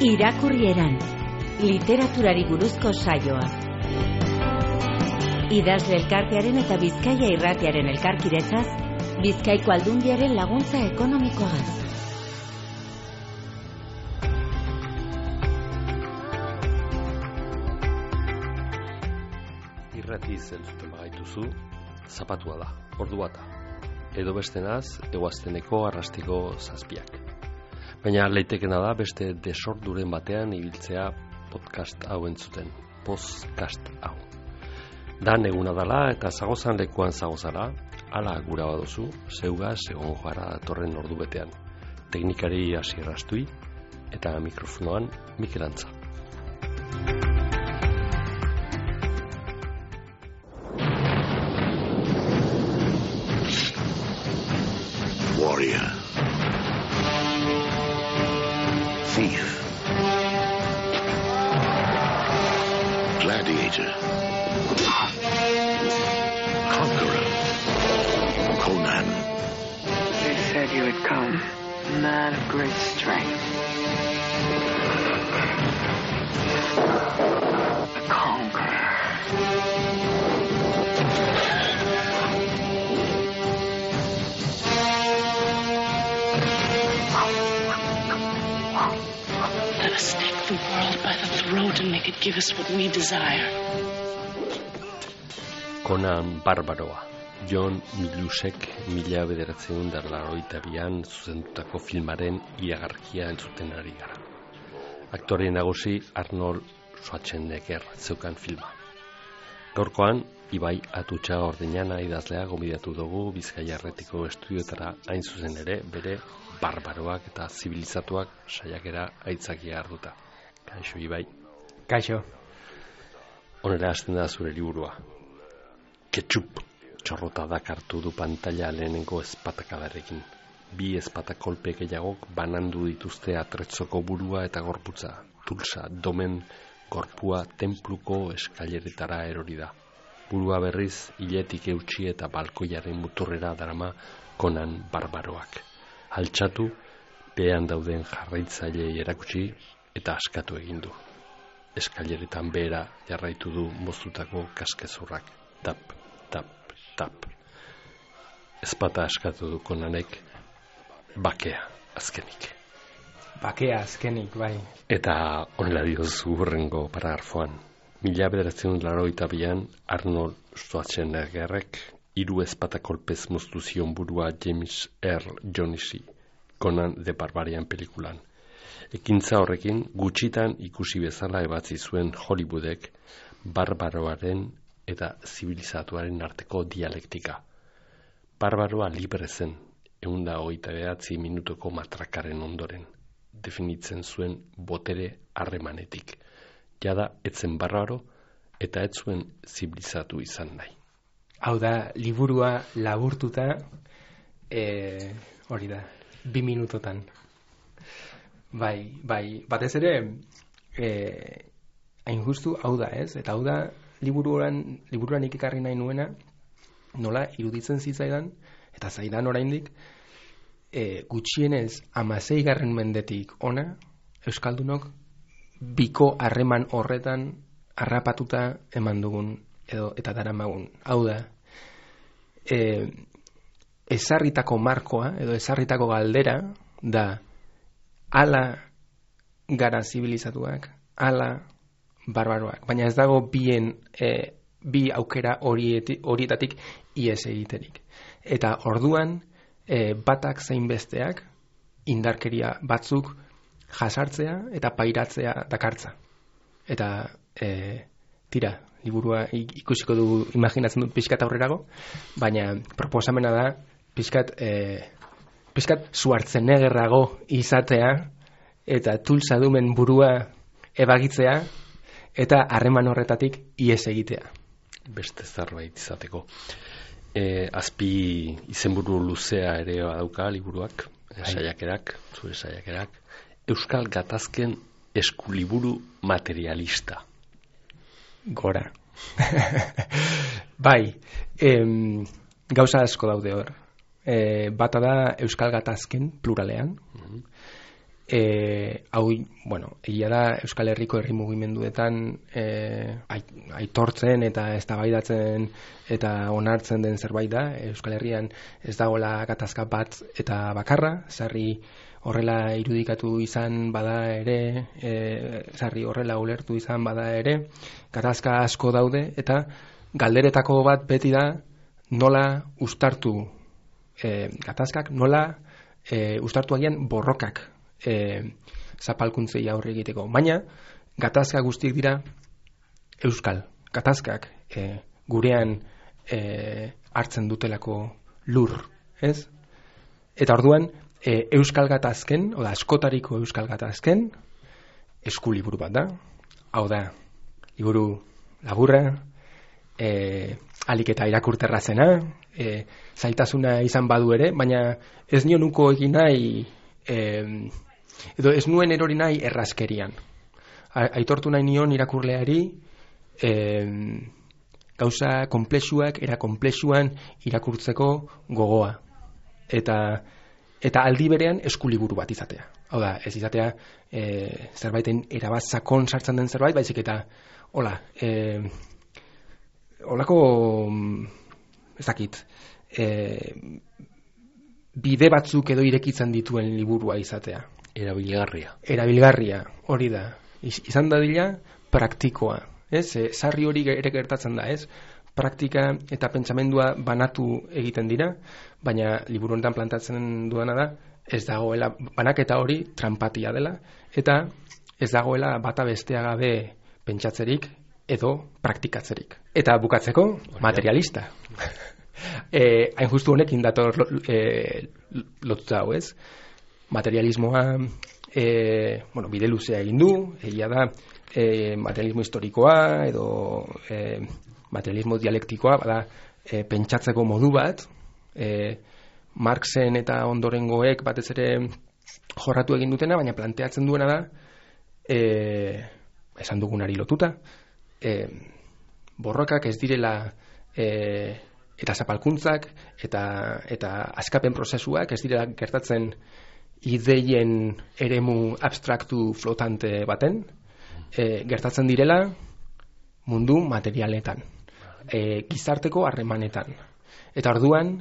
Irakurrieran, literaturari buruzko saioa. Idazle elkartearen eta Bizkaia irratiaren elkarkidetzaz, Bizkaiko Aldundiaren laguntza ekonomikoagaz. Irrati zentzuten bagaituzu, zapatua da, ordu bata. Edo bestenaz, eguazteneko arrastiko zazpiak. Baina leitekena da beste desorduren batean ibiltzea podcast hau entzuten. Podcast hau. Dan eguna dala eta zagozan lekuan zagozara, ala gura baduzu, zeugaz egon joara datorren ordu betean. Teknikari Asier Astui eta mikrofonoan Mikel Antza. Warrior, thief, gladiator, conqueror, Conan. They said you had come, a man of great strength. A conqueror. Let us take the world by the throat and make it give us what we desire. Conan Barbaroa. John Milusek 1982an zuzendutako filmaren iragarkia entzuten ari gara. Aktore nagusi Arnold Schwarzenegger zeukan filma. Gaurkoan, Ibai Atutxa Ordeñana idazlea gonbidatu dugu Bizkaia Erretiko estudioetara, hain zuzen ere bere barbaroak eta zibilizatuak saiakera aitzakia hartuta. Kaixo, Ibai. Kaixo. Honera hasten da zure liburua. Ketchup txorrota dakartu du pantalla lehenengo ezpatakadarekin. 2 ezpata kolpe gehiagok banandu dituzte atretzoko burua eta gorputza. Tulsa domen gorpua tenpluko eskaileretara erori da. Burua berriz hiletik eutsi eta balkoiaren muturrera darama Conan Barbaroak. Altxatu, behean dauden jarraitzailei erakutsi eta askatu egin du. Eskaileretan behera jarraitu du moztutako kaskezurrak. Tap, tap, tap. Ezpata askatu du Conanek, bakea azkenik. Bakea azkenik, bai. Eta honela diozu hurrengo paragrafoan. 1982an Arnold Schwarzeneggerrek 3 ezpata kolpez moztu zion burua James Earl Jonesi, Conan the Barbarian pelikulan. Ekintza horrekin gutxitan ikusi bezala ebatzi zuen Hollywoodek barbaroaren eta zibilizatuaren arteko dialektika. Barbaroa libre zen, 129 minutuko matrakaren ondoren, definitzen zuen botere harremanetik. Jada etzen barbaro eta ez zuen zibilizatu izan nahi. Hau da, liburua laburtuta, hori da, 2 minutotan. Bai, batez ere, hain justu, hau da, ez? Eta hau da, liburuan ikikarri nahi nuena, nola iruditzen zitzaidan, eta zaidan oraindik, gutxienez 16. mendetik ona, Euskaldunok, biko harreman horretan harrapatuta eman dugun, eta daramagun. Hau da, ezarritako markoa, edo ezarritako galdera, da, ala gara zibilizatuak, ala barbaroak. Baina ez dago bi aukera horietatik ihes egiterik. Eta orduan, batak zein besteak, indarkeria batzuk jasartzea eta pairatzea dakartza. Eta, tira, liburua ikusiko dugu, imaginatzen dut pixkat aurrerago, baina proposamena da pixkat Schwarzeneggerrago izatea eta Tulsa dumen burua ebagitzea eta harreman horretatik ihes egitea. Beste zerbait izateko. Azpi izenburu luzea ere badauka liburuak, saiakerak, zure saiakerak. Euskal Gatazken eskuliburu materialista. Gora. Bai, gauza asko daude hor. Bata da Euskal Gatazken pluralean, hau, egia da Euskal Herriko herri mugimenduetan aitortzen eta eztabaidatzen eta onartzen den zerbait da. Euskal Herrian ez dagoela gatazka bat eta bakarra, sarri horrela irudikatu izan bada ere, sarri horrela ulertu izan bada ere, gatazka asko daude eta galderetako bat beti da nola uztartu gatazkak, nola uztartu agian borrokak zapalkuntzei aurre egiteko. Baina gatazka guztiek dira euskal gatazkak, gurean hartzen dutelako lur, ez? Eta orduan euskal gatazken, oda askotariko euskal gatazken eskuliburu bat da. Hau da, liburu laburra, alik eta irakurterra zena, zailtasuna izan badu ere, baina ez nio nuko egin nahi, edo ez nuen erori nahi errazkerian. Aitortu nahi nion irakurleari gauza konplexuak era konplexuan irakurtzeko gogoa. Eta aldi berean eskuliburu bat izatea. Hau da, ez izatea zerbaiten erabat sakon sartzen den zerbait, baizik eta holako ez dakit bide batzuk edo irekitzen dituen liburua izatea. Erabilgarria, hori da. Izan dadila praktikoa, ez? Sarri hori ere gertatzen da, ez? Praktika eta pentsamendua banatu egiten dira, baina liburu honetan plantatzen duena da, ez dagoela banaketa hori tranpatia dela, eta ez dagoela bata bestea gabe pentsatzerik edo praktikatzerik. Eta bukatzeko, materialista. Hain justu honekin dator lotuta hau, ez? Materialismoa bide luzea egin du, egia da materialismo historikoa edo materialismo dialektikoa, bada pentsatzeko modu bat, Marxen eta ondorengoek batez ere jorratu egin dutena, baina planteatzen duena da, esan dugunari lotuta, borrokak ez direla eta zapalkuntzak eta askapen prozesuak ez direla gertatzen ideien eremu abstraktu flotante baten, gertatzen direla mundu materialetan, gizarteko harremanetan. Eta orduan,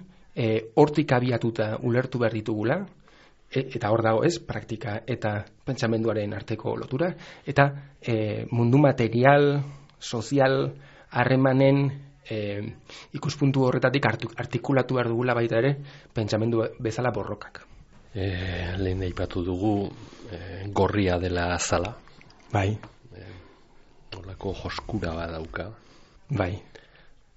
hortik abiatuta ulertu behar ditugula, eta hor dago ez, praktika eta pentsamenduaren arteko lotura, eta mundu material, sozial, harremanen ikuspuntu horretatik artikulatu behar dugula baita ere, pentsamendu bezala borrokak. Lehen aipatu dugu gorria dela azala. Bai. Olako joskura badauka. Bai.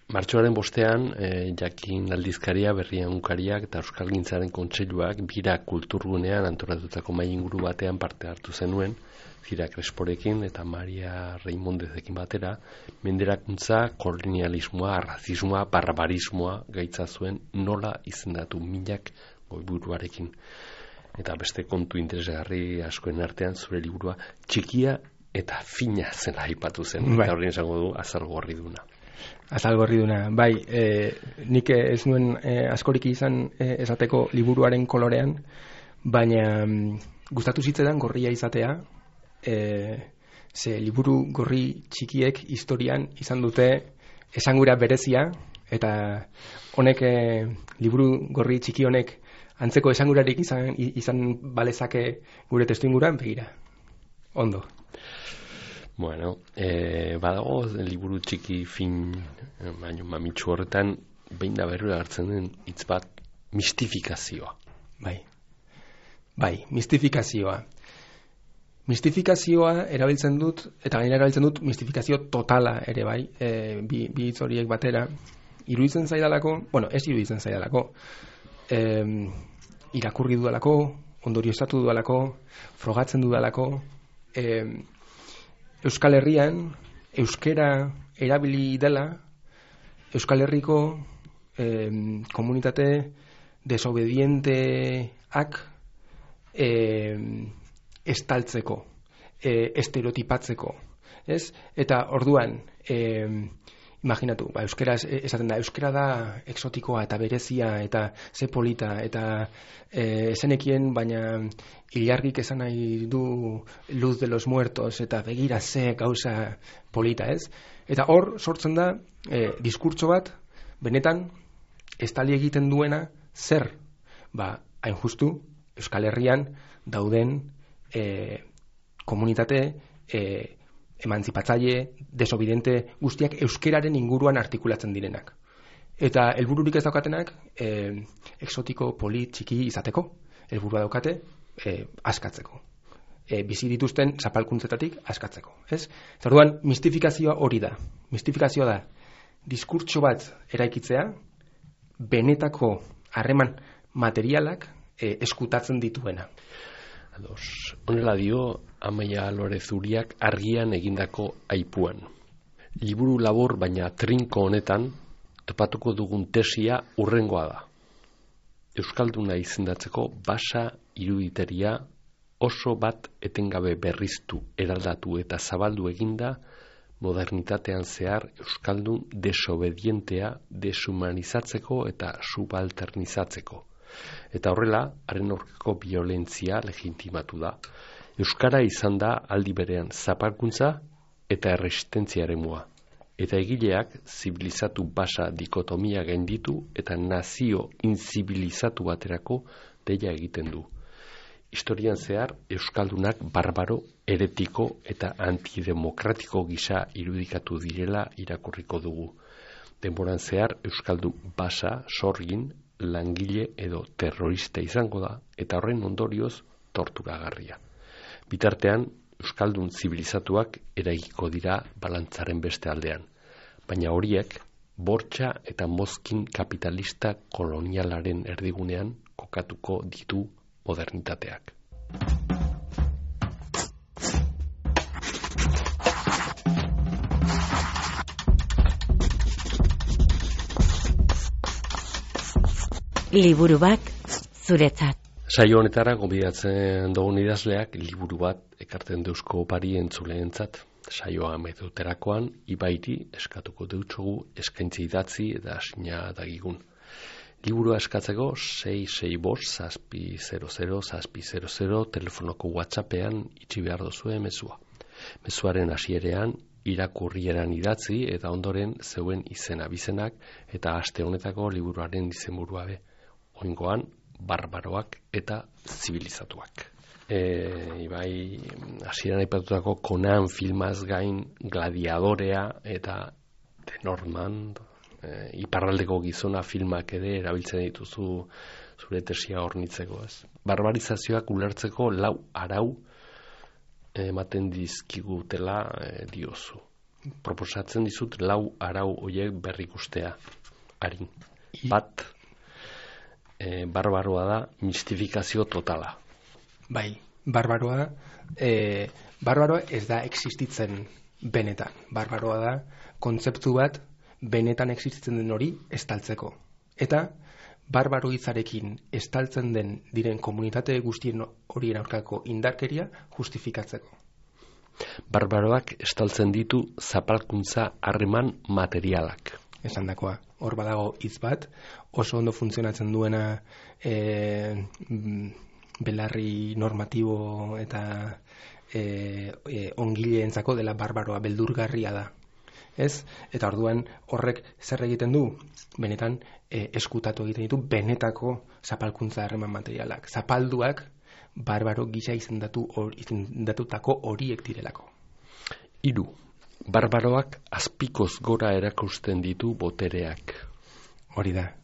Martxoaren 5 Jakin aldizkaria, Berria egunkariak eta Euskalgintzaren Kontseiluak bira kulturgunean antolatutako mahai inguru batean parte hartu zenuen, Zira Cresporekin eta Maria Reimondezekin batera, menderakuntza, kolonialismoa, razismoa, barbarismoa gaitza zuen nola izendatu milak goiburuarekin. Eta beste kontu interesgarri askoen artean zure liburua txikia eta fina zela aipatu zen. Bai. Eta horren esango du azalgorriduna. Azalgorriduna, bai, nik ez nuen askorik izan esateko liburuaren kolorean, baina gustatu zitzaidan gorria izatea, ze liburu gorri txikiek historian izan dute esangura berezia, eta honek liburu gorri txiki honek antzeko esangurarik izan balezake gure testuinguruan, begira. Ondo. Bueno, badago liburu txiki fin baino mamitsu horretan behin da berriro hartzen den hitz bat mistifikazioa. Bai, mistifikazioa. Mistifikazioa erabiltzen dut, eta gainera erabiltzen dut mistifikazio totala ere bai, bi hitz horiek batera. Iruditzen zaidalako, ez iruditzen zaidalako, irakurri dudalako, ondorioztatu dudalako, frogatzen dudalako, Euskal Herrian, euskera erabili dela, Euskal Herriko komunitate desobedienteak estaltzeko, estereotipatzeko, ez? Eta orduan, imaginatu, euskaraz esaten da, euskara da exotikoa eta berezia eta ze polita eta esenekien, baina ilargik esan nahi du Luz de los Muertos eta begira ze gauza polita, ez? Eta hor sortzen da diskurtso bat benetan estali egiten duena zer? Hain justu Euskal Herrian dauden komunitate emantzipatzaile, desobidente guztiak euskeraren inguruan artikulatzen direnak. Eta helbururik ez daukatenak exotiko, polit, txiki izateko. Helburua daukate askatzeko. Bizi dituzten zapalkuntzetatik askatzeko. Ez? Orduan, mistifikazioa hori da. Mistifikazioa da diskurtso bat eraikitzea, benetako harreman materialak eskutatzen dituena. Honela dio Amaia Lorez Uriak Argian egindako aipuan. Liburu labur baina trinko honetan topatuko dugun tesia urrengoa da. Euskalduna izendatzeko basa iruditeria oso bat etengabe berriztu, eraldatu eta zabaldu eginda modernitatean zehar euskaldun desobedientea deshumanizatzeko eta subalternizatzeko. Eta horrela, haren aurkako biolentzia legitimatu da. Euskara izan da aldi berean zapalkuntza eta erresistentzia eremua. Eta egileak zibilizatu basa dikotomia gainditu eta nazio inzibilizatu baterako deia egiten du. Historian zehar, euskaldunak barbaro, heretiko eta antidemokratiko gisa irudikatu direla irakurriko dugu. Denboran zehar, euskaldu basa, sorgin, langile edo terrorista izango da, eta horren ondorioz torturagarria. Bitartean, euskaldun zibilizatuak eraikiko dira balantzaren beste aldean, baina horiek bortxa eta mozkin kapitalista kolonialaren erdigunean kokatuko ditu modernitateak. Liburu bat zuretzat. Saio honetara gonbidatzen dugun idazleak liburu bat ekartzen deusko opari entzuleentzat. Saioa ameduterakoan ibairi eskatuko deutsogu eskaintzi idatzi eta asina dagigun. Liburua eskatzeko 665-600-600 telefonoko WhatsAppean itxi behar dozue mezua. Mezuaren hasierean irakurrieran idatzi eta ondoren zeuen izena bizenak eta aste honetako liburuaren izenburua be. Oingoan, barbaroak eta zibilizatuak. Ibai, hasieran aipatutako Conan filmaz gain Gladiadorea eta The Northman, iparraldeko gizona filmak ere erabiltzen dituzu zure tesia hornitzeko, ez? Barbarizazioak ulertzeko 4 arau ematen dizkigutela diozu. Proposatzen dizut 4 arau horiek berrikustea. Arin. Bat, barbaroa da mistifikazio totala. Bai, barbaroa ez da existitzen benetan. Barbaroa da kontzeptu bat benetan existitzen den hori estaltzeko. Eta barbaro hitzarekin estaltzen diren komunitate guztien horien aurkako indarkeria justifikatzeko. Barbaroak estaltzen ditu zapalkuntza harreman materialak. Esandakoa, hor badago hitz bat, oso ondo funtzionatzen duena belarri normatibo eta ongileentzako dela barbaroa, beldurgarria da. Ez? Eta orduan horrek zer egiten du? Benetan eskutatu egiten ditu benetako zapalkuntza harreman materialak. Zapalduak barbaro gisa izendatutako horiek direlako. 3. Barbaroak azpikoz gora erakusten ditu botereak. Hori da,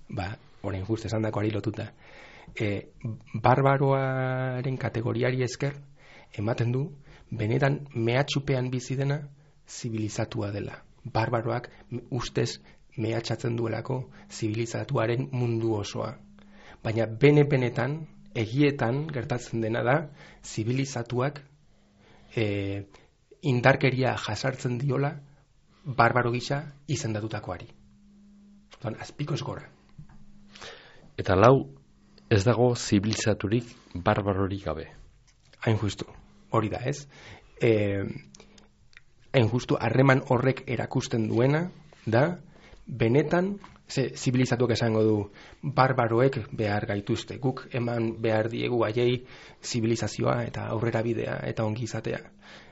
orain just esandakoari lotuta. Barbaroaren kategoriari esker ematen du benetan mehatxupean bizi dena zibilizatua dela. Barbaroak ustez mehatxatzen duelako zibilizatuaren mundu osoa. Baina benetan, egietan gertatzen dena da zibilizatuak indarkeria jasartzen diola barbaro gisa izendatutakoari. Azpikoz gora. Eta 4, ez dago zibilizaturik barbarorik gabe. Hain justu, hori da, ez? Hain justu, harreman horrek erakusten duena, da benetan zibilizatuak esango du barbaroek behar gaituzte, guk eman behar diegu haiei zibilizazioa eta aurrera bidea eta ongizatea.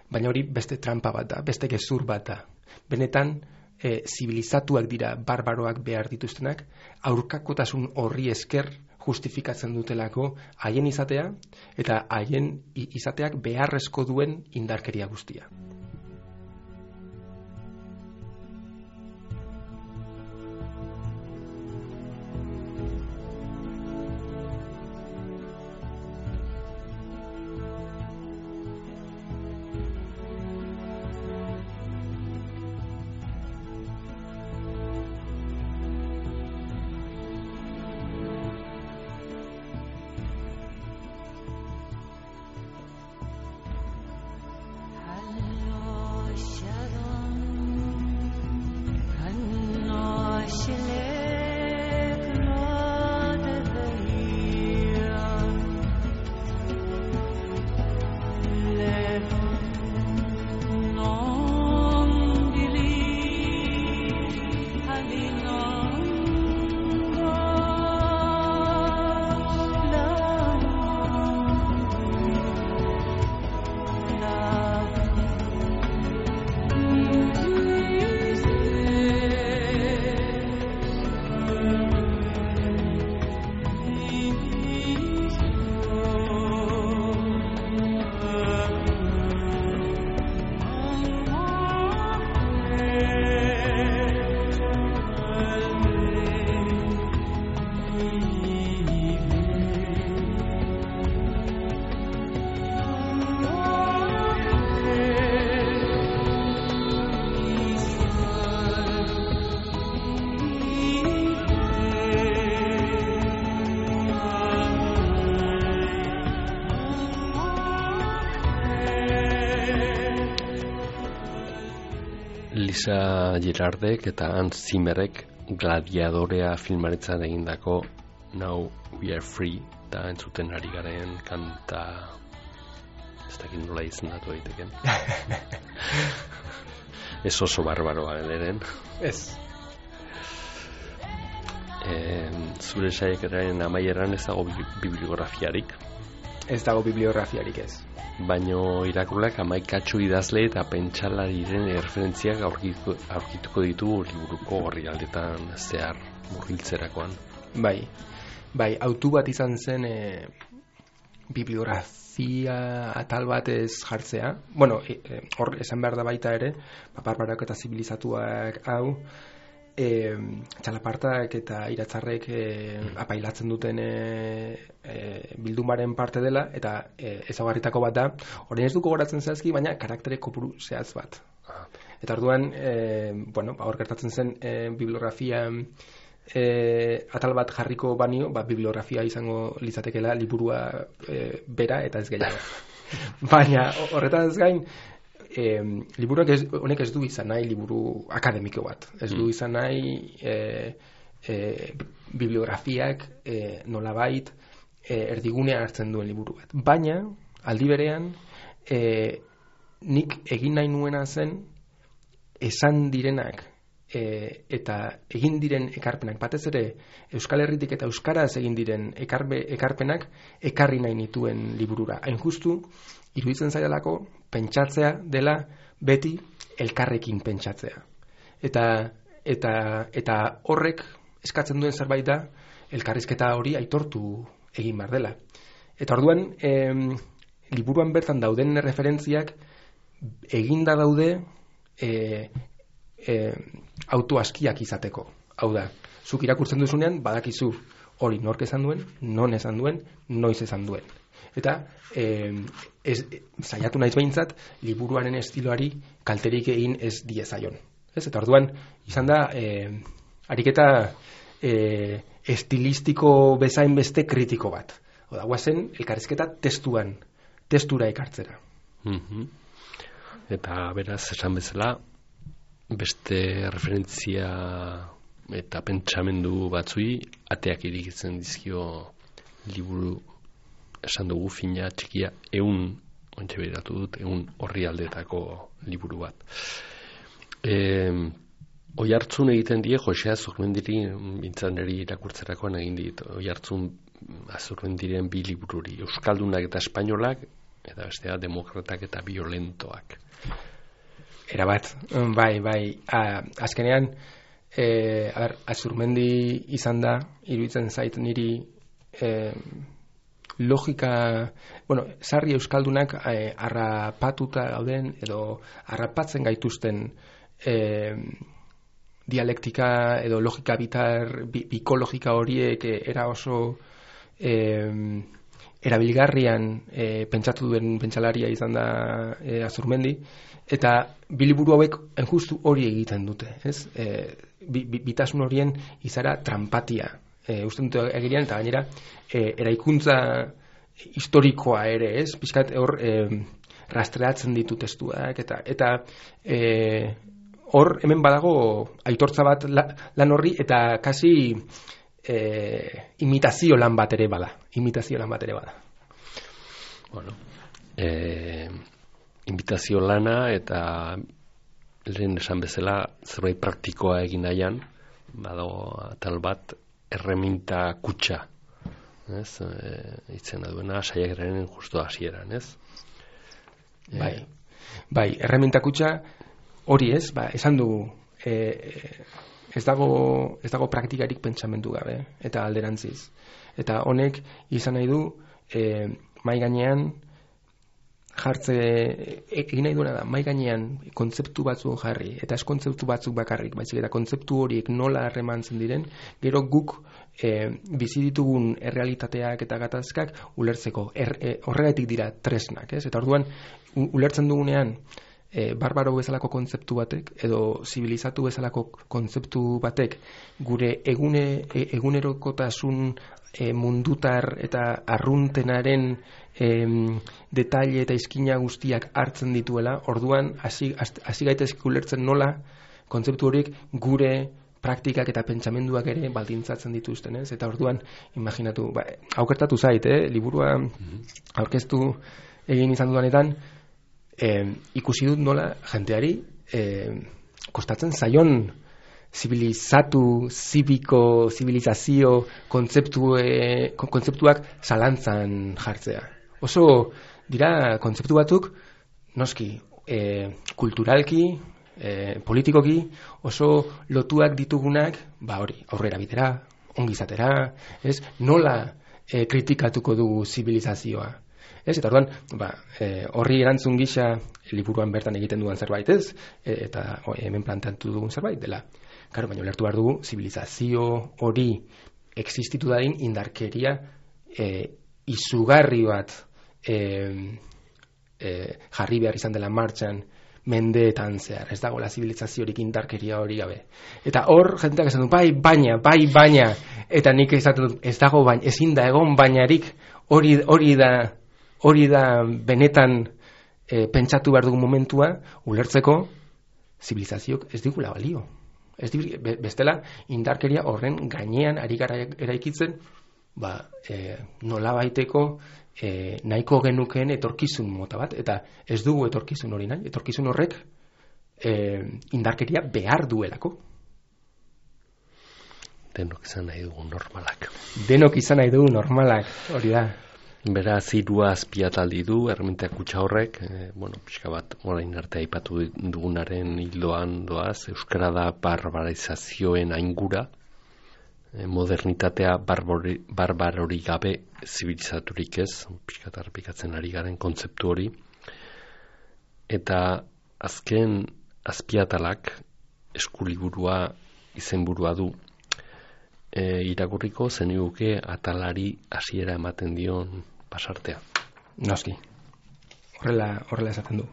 Baina hori beste trampa bat da, beste gezur bat da. Benetan zibilizatuak dira barbaroak behar dituztenak, aurkakotasun horri esker justifikatzen dutelako haien izatea eta haien izateak beharrezko duen indarkeria guztia. Lisa Gerardek eta Hans Zimmerek Gladiadorea filmaretzan egindako Now We Are Free eta entzuten ari garen kanta ez dakit nola izendatu daiteken. Ez oso barbaroa eren. Ez. Zure saiakeraren amaieran ez dago bibliografiarik. Ez dago bibliografiarik ez. Baino irakurleak 11 idazle eta pentsalariren erreferentziak aurkituko ditu liburuko orrialdetan zehar murgiltzerakoan. Bai, autu bat izan zen bibliografia atal bat ez jartzea. Bueno, hor esan behar da baita ere, barbaroak eta zibilizatuak hau, txalapartak eta iratzarrek apailatzen duten bildumaren parte dela, eta ezaugarritako bat da, orain ez duko goratzen zehazki, baina karaktere kopuru zehaz bat. Eta orduan, hor gertatzen zen bibliografia atal bat jarriko banio, bibliografia izango litzatekela liburua bera eta ez gehiago. Baina horretaz gain, honek ez du izan nahi liburu akademiko bat. Ez du izan nahi bibliografiak nolabait erdigunean hartzen duen liburu bat. Baina, aldi berean, nik egin nahi nuena zen esan direnak eta egin diren ekarpenak, batez ere Euskal Herritik eta euskaraz egin diren ekarpenak ekarri nahi nituen liburura. Hain justu, iruditzen zaidalako pentsatzea dela beti elkarrekin pentsatzea. Eta horrek eskatzen duen zerbait da elkarrizketa hori aitortu egin behar dela. Eta orduan, liburuan bertan dauden referentziak eginda daude autoaskiak izateko. Hau da, zuk irakurtzen duzunean badakizu hori nork esan duen, non esan duen, noiz esan duen. Eta saiatu naiz behintzat liburuaren estiloari kalterik egin ez diezaion. Eta orduan izan da ariketa estilistiko bezain beste kritiko bat. Oda, guazen elkarrizketa testura ekartzera. Eta beraz esan bezala beste referentzia eta pentsamendu batzui ateak irikitzen dizkio liburu, esan dugu fina txikia, 100 orrialdetako liburu bat. Oihartzun egiten die Josea Azurmendiri bintzaneri irakurtzerakoan egin dit. Oihartzun Azurmendiren 2 libururi, Euskaldunak eta Espainolak, eta bestea Demokratak eta Violentoak. Erabat, bai. Azkenean, Azurmendi izan da, iruditzen zait niri logika, sarri euskaldunak harrapatuta gauden edo harrapatzen gaituzten dialektika edo logika bikologika horiek era oso erabilgarrian pentsatu duen pentsalaria izan da Azurmendi, eta biliburu hauek justu hori egiten dute, ez? Bitasun horien izara trampatia uste dute egirian, eta gainera eraikuntza historikoa ere, ez? Pixkat hor rastreatzen ditu testuak, eta hor hemen badago aitortza bat lan horri, eta kasi imitazio lan bat ere bada. Bueno, imitazio lana eta lehen esan bezala zerbait praktikoa egin nahian, badago atal bat erreminta kutxa, ez? Itzena duena saiakeraren justu hasieran, ez? Bai, erreminta kutxa hori ez, esan dugu ez dago praktikarik pentsamendu gabe, eta alderantziz. Eta honek izan nahi du mai gainean egin nahi duena da, mai gainean kontzeptu batzuk jarri, eta ez kontzeptu batzuk bakarrik, baizik eta kontzeptu horiek nola harremantzen diren, gero guk bizi ditugun errealitateak eta gatazkak ulertzeko. Horregatik dira tresnak, ez? Eta orduan, ulertzen dugunean, barbaro bezalako kontzeptu batek edo zibilizatu bezalako kontzeptu batek gure egunerokotasun mundutar eta arruntenaren detaile eta izkina guztiak hartzen dituela, orduan hasi gaitezke ulertzen nola kontzeptu horiek gure praktikak eta pentsamenduak ere baldintzatzen dituzten, ez? Eta orduan, imaginatu, aukertatu zait, liburua aurkeztu egin izan dudanetan, ikusi dut nola jenteari kostatzen zaion zibilizazio kontzeptuak zalantzan jartzea. Oso dira kontzeptu batzuk noski kulturalki, politikoki oso lotuak ditugunak, aurrera bitera, ongizatera, ez? Nola kritikatuko dugu zibilizazioa? Ez, eta orduan, horri erantzun gisa liburuan bertan egiten duan zerbait, ez? Eta hemen planteatu dugun zerbait dela. Claro, baina ulertu behar dugu, zibilizazio hori existitu dadin indarkeria izugarri bat jarri behar izan dela martxan mendeetan zehar. Ez dago la zibilizaziorik indarkeria hori gabe. Eta hor, jenteak esan du, bai baina, eta nik esaten dut, ez dago baina, ezin da egon bainarik, hori da benetan pentsatu behar dugun momentua, ulertzeko zibilizazioak ez digula balio. Bestela, indarkeria horren gainean ari gara eraikitzen, nola baiteko nahiko genukeen etorkizun mota bat, eta ez dugu etorkizun hori nahi, etorkizun horrek indarkeria behar duelako. Denok izan nahi dugu normalak, hori da. Beraz, hirua azpiataldi du, erreminta kutxa horrek, pixka bat, orain arte aipatu dugunaren hildoan doaz, euskara da barbarizazioen aingura, modernitatea barbarori gabe zibilizaturik ez, pixka eta errepikatzen ari garen kontzeptu hori, eta azken azpiatalak eskuliburua izenburua du, irakurriko zeniguke atalari hasiera ematen dion pasartea. Noski, horrela esaten du.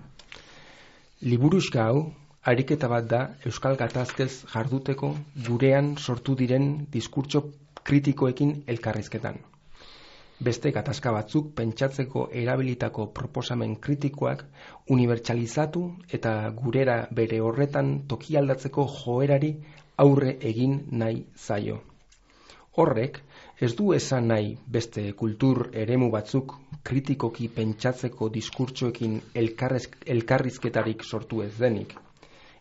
Liburuxka hau, ariketa bat da euskal gatazkez jarduteko gurean sortu diren diskurtso kritikoekin elkarrizketan. Beste gatazka batzuk pentsatzeko erabilitako proposamen kritikoak unibertsalizatu eta gurera bere horretan tokialdatzeko joerari aurre egin nahi zaio. Horrek, ez du esan nahi beste kultur eremu batzuk kritikoki pentsatzeko diskurtsoekin elkarrizketarik sortu ez denik.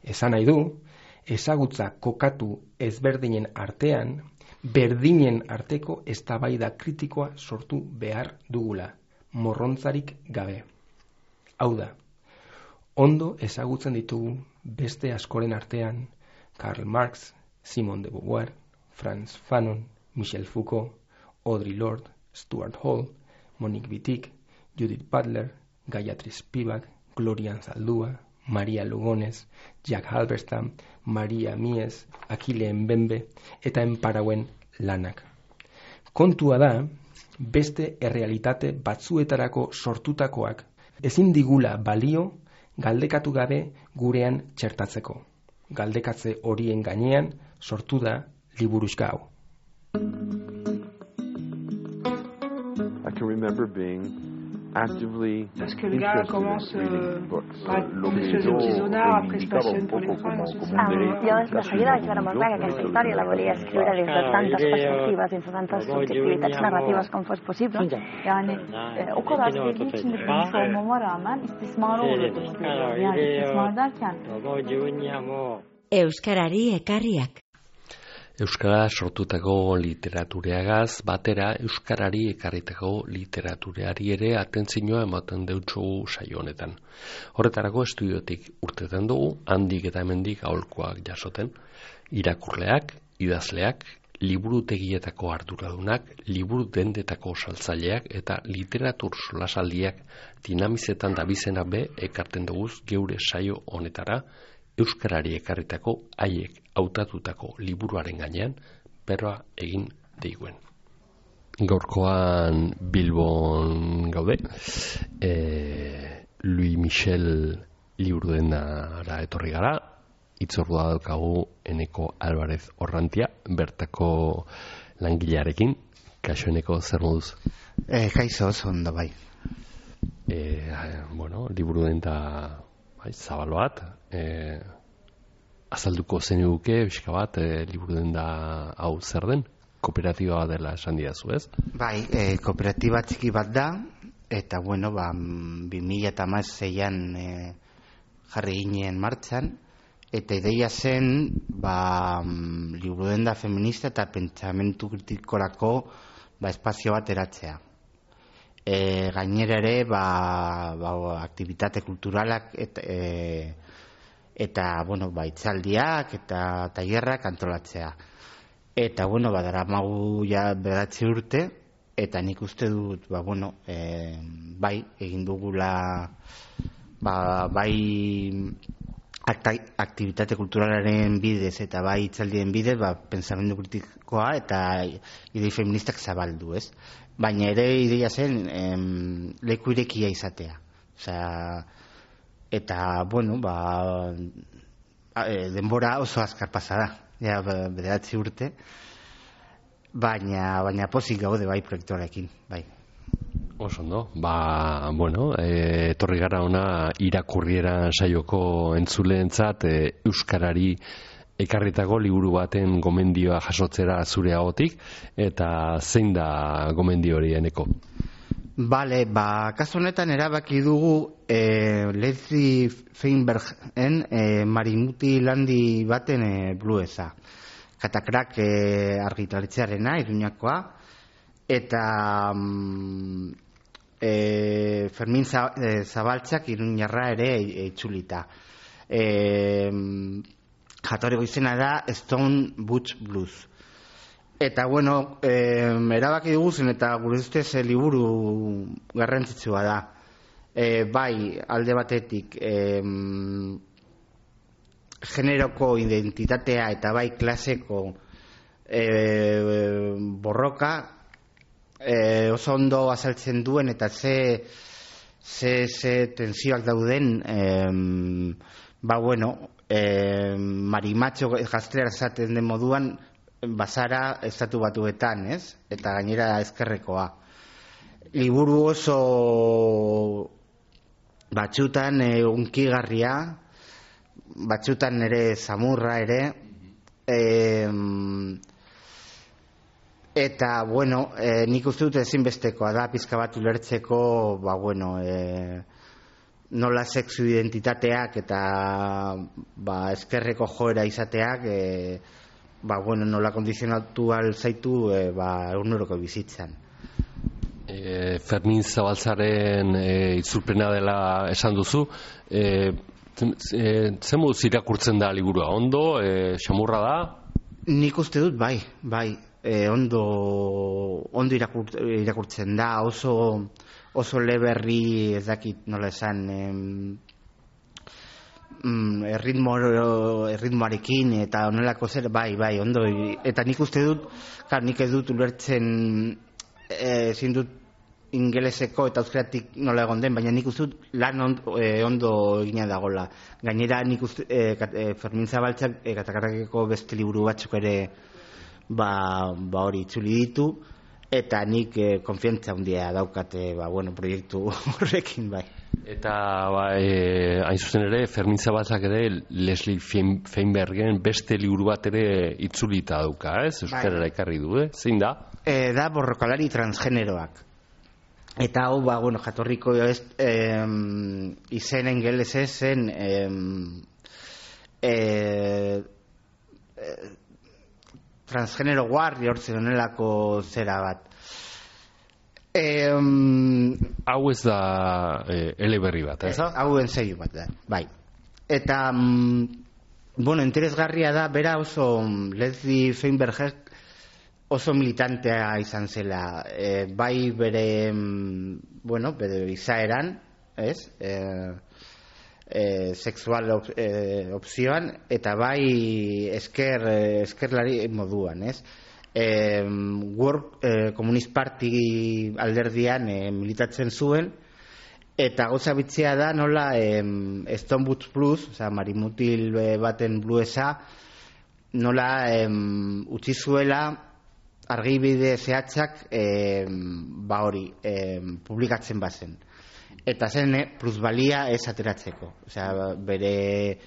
Esan nahi du, ezagutza kokatu ezberdinen artean, berdinen arteko eztabaida kritikoa sortu behar dugula, morrontzarik gabe. Hau da, ondo ezagutzen ditugu beste askoren artean Karl Marx, Simone de Beauvoir, Frantz Fanon, Michel Foucault, Audre Lorde, Stuart Hall, Monique Wittig, Judith Butler, Gayatri Spivak, Gloria Anzaldúa, Maria Lugones, Jack Halberstam, Maria Mies, Achille Mbembe eta enparauen lanak. Kontua da, beste errealitate batzuetarako sortutakoak ezin digula balio galdekatu gabe gurean txertatzeko. Galdekatze horien gainean sortu da liburuxka hau. I can remember being actively Parce que le gars commence par des choses artisanales, après se passionne pour les fringues. Yo de seguida vaig veure molt clar que aquesta història la volia escriure des de tantes perspectives, dins de tantes subjectivitats narratives com fos possible. Yani o kadar sevdiği için de bilmiş olmama rağmen istismara uğradığını görüyorum. Yani istismar derken Euskarari ekarriak. Euskara sortutako literatureagaz batera euskarari ekarritako literatureari ere atentzioa ematen deutsugu saio honetan. Horretarako estudiotik urtetan dugu, handik eta hemendik aholkuak jasoten. Irakurleak, idazleak, liburutegietako arduradunak, liburu dendetako saltzaileak eta literatur solasaldiak dinamizetan dabizena be ekarten duguz geure saio honetara, euskarari ekarritako haiek hautatutako liburuaren gainean berroa egin deiguen. Gaurkoan Bilbon gaude, Louis Michel liburu denara etorri gara, itzordua daukagu Eneko Alvarez Orrantia, bertako langilearekin. Kaixo Eneko, zer moduz? Kaixo, oso ondo bai. Liburu den da zabal bat, azalduko zeniguke, pixka bat, liburu den da hau zer den? Kooperatiba dela esan didazu, ez? Bai, kooperatiba txiki bat da, eta 2016an jarri ginen martxan, eta ideia zen liburu den da feminista eta pentsamentu kritikorako espazio bat eratzea. Gainera ere aktibitate kulturalak eta itzaldiak eta tailerrak antolatzea. Eta daramagu ja 9 urte, eta nik uste dut bai egin dugula bai aktibitate kulturalaren bidez eta bai itzaldien bidez pentsamendu kritikoa eta idei feministak zabaldu, ez? Baina ere ideia zen leku irekia izatea. Eta, denbora oso azkar pasa da, ja 9 urte, baina pozik gaude bai proiektuarekin, bai. Oso ondo, etorri gara ona irakurriera saioko entzuleentzat euskarari ekarritako liburu baten gomendioa jasotzera zure ahotik, eta zein da gomendio hori, Eneko? Bale, kasu honetan erabaki dugu Leslie Feinbergen Marimuti landi baten bluesa. Katakrak argitaletxearena, Iruñakoa, eta Fermin Zabaltzak Iruñarra ere itzulita. Jatorriko izena da Stone Butch Blues. Eta erabaki duguzen eta gure ustez liburu garrantzitsua da. Bai, alde batetik generoko identitatea eta bai klaseko borroka oso ondo azaltzen duen eta ze tensioak dauden marimatxo gaztelera esaten den moduan bazara estatu batuetan, ez? Eta gainera ezkerrekoa. Liburu oso batzutan unkigarria, batzutan ere samurra ere, eta, nik uste dut ezinbestekoa da, pizka bat ulertzeko, nola sexu identitateak eta eskerreko joera izateak nola kondizionatu alzaitu eguneroko bizitzan. Fermin Zabaltzaren itzulpena dela esan duzu, zen moduz irakurtzen da liburua? Ondo, xamurra da? Nik uste dut, bai, ondo irakurtzen da, oso leberri, ez dakit nola esan, erritmoarekin eta onelako zer, bai, ondo, eta nik uste dut, nik ez dut ulertzen, ezin dut ingeleseko eta euskeratik nola egon den, baina nik uste dut lan ondo egina dagola. Gainera nik uste Fermin Zabaltzak Katakarrakeko beste liburu batzuk ere hori itzuli ditu, eta nik konfiantza handia daukate proiektu horrekin, bai. Eta hain zuzen ere, Fermin Zabaltzak ere Leslie Feinbergen beste liburu bat ere itzulita dauka, ez? Euskarara ekarri du, zein da? Da borrokalari transgeneroak. Eta hau, jatorriko izen ingelesez zen transgenero warrior zenelako zera bat. Hau ez da eleberri bat, ez? Hau ensaio bat da, bai. Eta, interesgarria da, bera oso Leslie Feinberg oso militantea izan zela, bai bere izaeran, ez? Sexual opzioan, eta bai eskerlari moduan, ez? World Communist Party alderdian militatzen zuen, eta gauza bitzea da nola Stone Boots Blues, marimutil baten bluesa, nola utzi zuela argibide zehatzak publikatzen bazen. Eta zen plusbalia ez ateratzeko. Bere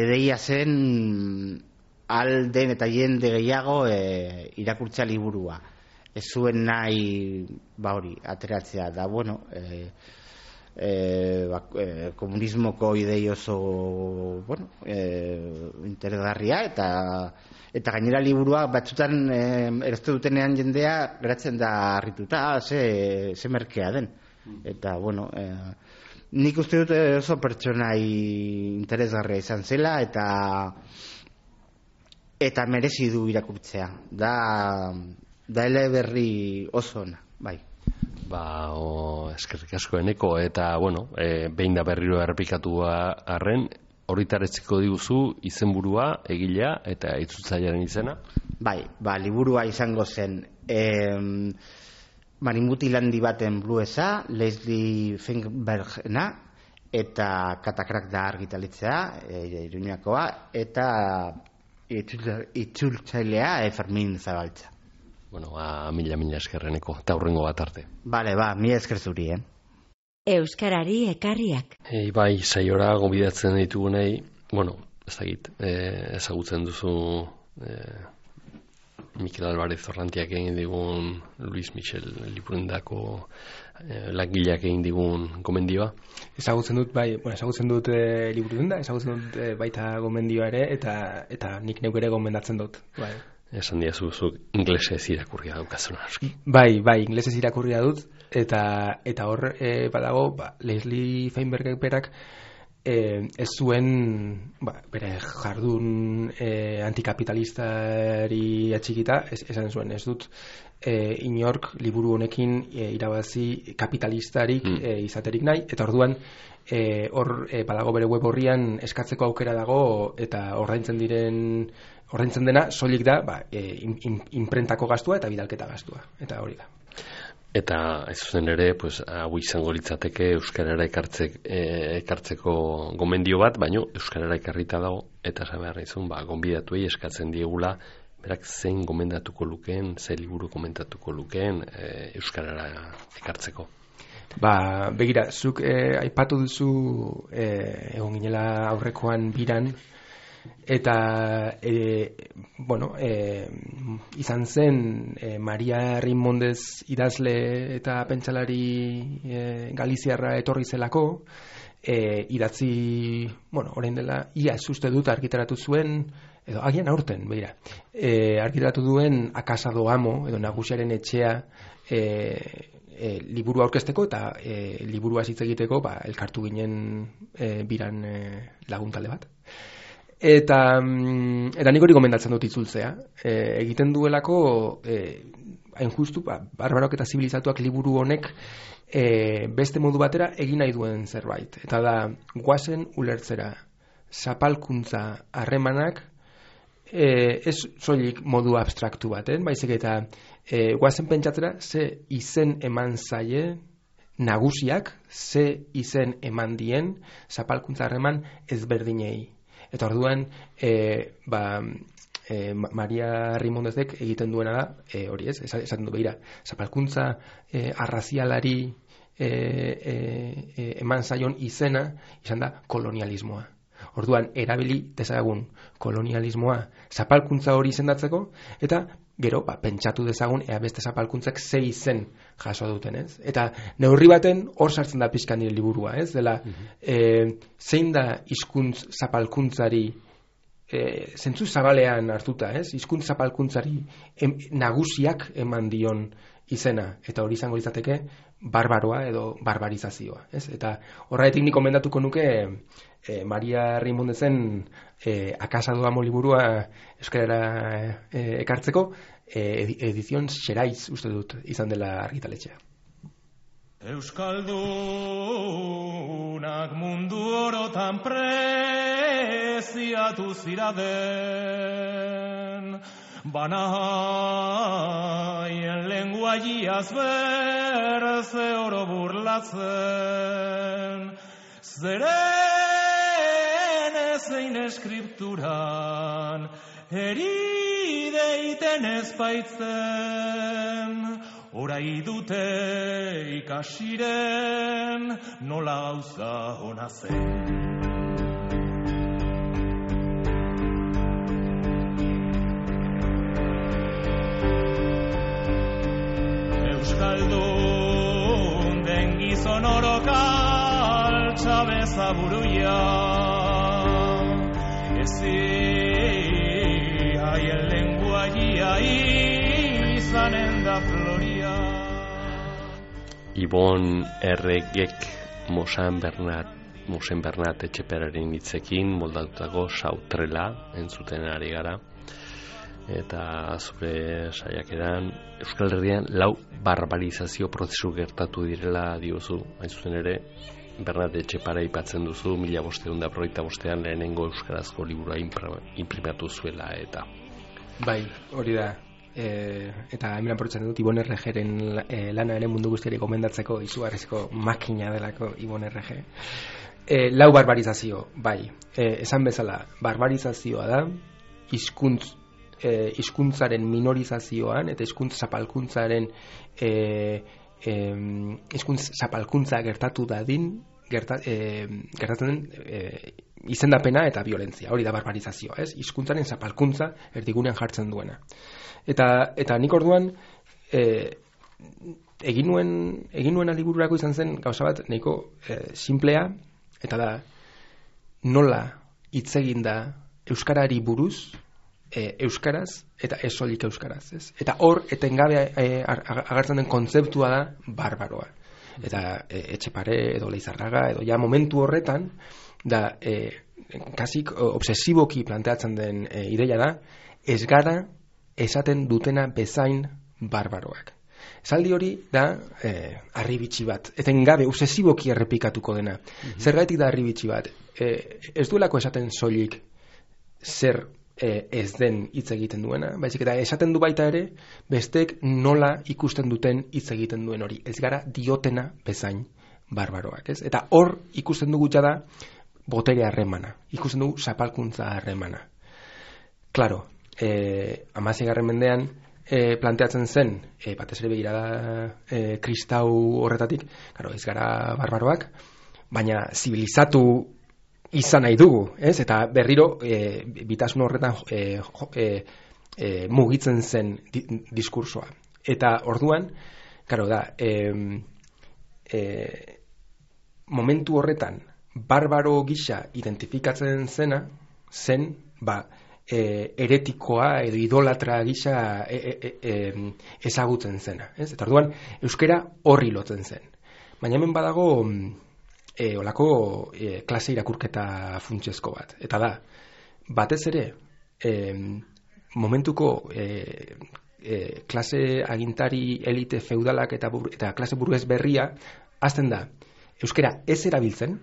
deia zen alden eta jende gehiago irakurtza liburua. Ez zuen nahi ateratzea da, komunismoko idei oso interesgarria eta gainera liburua batzutan erazte dutenean jendea geratzen da harrituta, ze merkea den. Eta, nik uste dut oso pertsonai interesgarria izan zela eta merezi du irakurtzea. Da eleberri oso ona, bai. Eskerrik asko Eneko, eta, behin da berriro errepikatu arren, horritaretziko diguzu izenburua, egilea eta itzultzailearen izena? Bai, liburua izango zen marimutil handi baten bluesa, Leslie Feinbergena, eta Katakrak da argitalitzea, Iruñakoa, eta itzultzailea Fermin Zabaltza. Mila eskerreneko, eta hurrengo bat arte. Mila esker zuri, Euskarari ekarriak. Bai, saiora gonbidatzen ditugunei, ezagutzen duzu Mikel Alvarez Orrantiak egin digun, Luis Michel Lipurendako langileak egin digun gomendioa. Ezagutzen dut, ezagutzen dut Lipurenda, ezagutzen dut baita gomendioa ere, eta nik neuk ere gomendatzen dut. Esan diazu, inglesez irakurria daukazuna aski. Bai, inglesez irakurria dut, eta hor badago, Leslie Feinbergek berak ez zuen bere jardun antikapitalistari atxikita, esan zuen, ez dut inork liburu honekin irabazi kapitalistarik izaterik nahi, eta orduan hor badago bere web horrian eskatzeko aukera dago, eta ordaintzen dena soilik da imprentako gastua eta bidalketa gastua, eta hori da. Eta ez zuzen ere, hau izango litzateke euskarara ekartzeko gomendio bat, baino euskarara ekarrita dago, eta zabeharra izun, gonbidatuei eskatzen diegula, berak zein gomendatuko lukeen, zein liburu komentatuko lukeen euskarara ekartzeko. Begira, zuk aipatu duzu egon ginela aurrekoan biran, eta izan zen Maria Rimondez idazle eta pentsalari galiziarra etorri zelako, idatzi, orain dela, ia uste dut argitaratu zuen, edo agian aurten, begira, argitaratu duen Akasado Amo, edo Nagusiaren etxea, liburu aurkezteko eta liburu hitz egiteko elkartu ginen biran laguntale bat. Eta nik hori gomendatzen dut itzultzea. Egiten duelako, hain justu, Barbarok eta zibilizatuak liburu honek beste modu batera egin nahi duen zerbait. Eta da, goazen ulertzera zapalkuntza harremanak, ez soilik modu abstraktu baten, baizik eta goazen pentsatzera ze izen eman zaie nagusiak, ze izen eman dien zapalkuntza harreman ezberdinei. Eta orduan, Maria Rimondezek egiten duena da, hori ez, esaten du behira, zapalkuntza arrazialari eman zaion izena, izan da kolonialismoa. Orduan, erabili dezagun kolonialismoa zapalkuntza hori izendatzeko, eta gero, pentsatu dezagun ea beste zapalkuntzak ze izen jaso duten, ez? Eta neurri baten hor sartzen da pixka nire liburua, ez? Dela, zein da hizkuntz zapalkuntzari zentzu zabalean hartuta, ez? Hizkuntz zapalkuntzari nagusiak eman dion izena, eta hori izango litzateke barbaroa edo barbarizazioa, ez? Eta horregatik nik komendatuko nuke Maria Rimondezen Akasado Amo liburua euskarara ekartzeko, edizion Xeraiz uste dut izan dela argitaletxea. Euskaldunak mundu orotan preziatu ziraden, banaien lenguaiaz berze oro burlatzen, zeren ezein eskripturan erideiten ezbaitzen, orai dute ikasiren nola gauza hona zen. Euskaldun den gizon orokal txabeza buruia, ezi haien lenguaia izanen da floria. Ibon Erregek Mosen Bernat Etxeperaren hitzekin moldatutako Sautrela entzuten ari gara. Eta zure saiakeran Euskal Herrian 4 barbarizazio prozesu gertatu direla diozu, hain zuzen ere Bernat Etxepara aipatzen duzu 1585an lehenengo euskarazko liburua inprimatu zuela eta bai, hori da. Eta hemen apurtzen dut Ibon Erregeren lana ere mundu guztiari gomendatzeko izugarrizko makina delako Ibon Errege. 4 barbarizazio, bai. Esan bezala, barbarizazioa da hizkuntzaren minorizazioan eta hizkuntz zapalkuntzaren hizkuntz zapalkuntza gertatu dadin gertatzen den izendapena eta violentzia. Hori da barbarizazioa, ez? Hizkuntzaren zapalkuntza erdigunean jartzen duena. Eta nik orduan egin nuen libururako izan zen gauza bat nahiko simplea, eta da nola hitz egin da euskarari buruz euskaraz eta ez soilik euskaraz, ez? Eta hor etengabe agertzen den kontzeptua da barbaroa. Eta Etxepare edo Leizarraga edo ja momentu horretan da kasik obsesiboki planteatzen den ideia da ez gara esaten dutena bezain barbaroak. Esaldi hori da harribitxi bat, etengabe obsesiboki errepikatuko dena. Zergatik da harribitxi bat? Ez duelako esaten soilik zer ez den hitz egiten duena, baizik eta esaten du baita ere bestek nola ikusten duten hitz egiten duen hori. Ez gara diotena bezain barbaroak, ez? Eta hor ikusten dugu da botere harremana, ikusten dugu zapalkuntza harremana. Claro, 16. mendean planteatzen zen, batez ere begirada kristau horretatik, claro, ez gara barbaroak, baina zibilizatu izan nahi dugu, ez? Eta berriro bitasun horretan mugitzen zen diskursoa. Eta orduan, claro da, momentu horretan barbaro gisa identifikatzen zen heretikoa edo idolatra gisa ezagutzen zena, ez? Eta orduan euskera horri lotzen zen. Baina hemen badago olako klase irakurketa funtsezko bat. Eta da, batez ere momentuko klase agintari elite feudalak eta klase burgues berria hasten da euskera ez erabiltzen,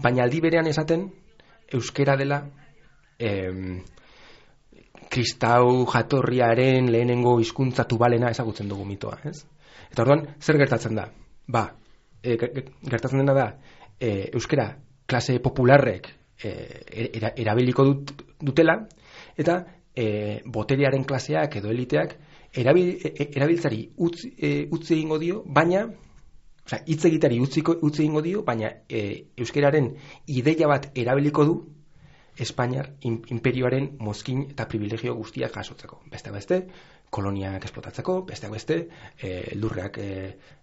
baina aldi berean esaten euskera dela kristau jatorriaren lehenengo hizkuntza tubalena ezagutzen dugu mitoa, ez? Eta orduan, zer gertatzen da? Gertatzen dena da euskera klase popularrek erabiliko dutela, eta boterearen klaseak edo eliteak erabiltzari utzi egingo dio, baina hitz egitari utzi egingo dio, baina euskeraren ideia bat erabiliko du Espainiar imperioaren mozkin eta privilegio guztiak jasotzeko. Besteak beste, koloniak esplotatzeko, besteak beste, lurreak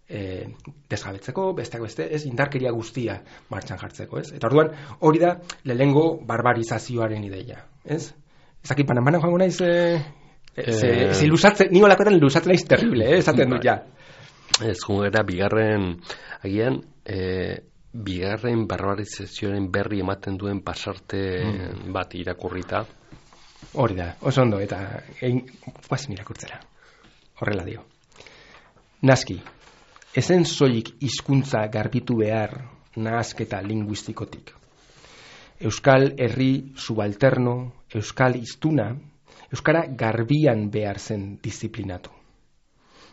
desjabetzeko, besteak beste, ez indarkeria guztia martxan jartzeko, ez? Eta orduan, hori da lehenengo barbarizazioaren ideia, ez? Ezakit, banan joango naiz, ni olakoetan luzatzen naiz terrible, esaten dut ja. Ez gungera, agian, bigarren barbarizazioaren berri ematen duen pasarte bat irakurrita. Hori da, oso ondo, eta guazen irakurtzera. Horrela dio. Naski, ezen soilik hizkuntza garbitu behar nahasketa linguistikotik. Euskal herri subalterno, euskal hiztuna, euskara garbian behar zen disiplinatu.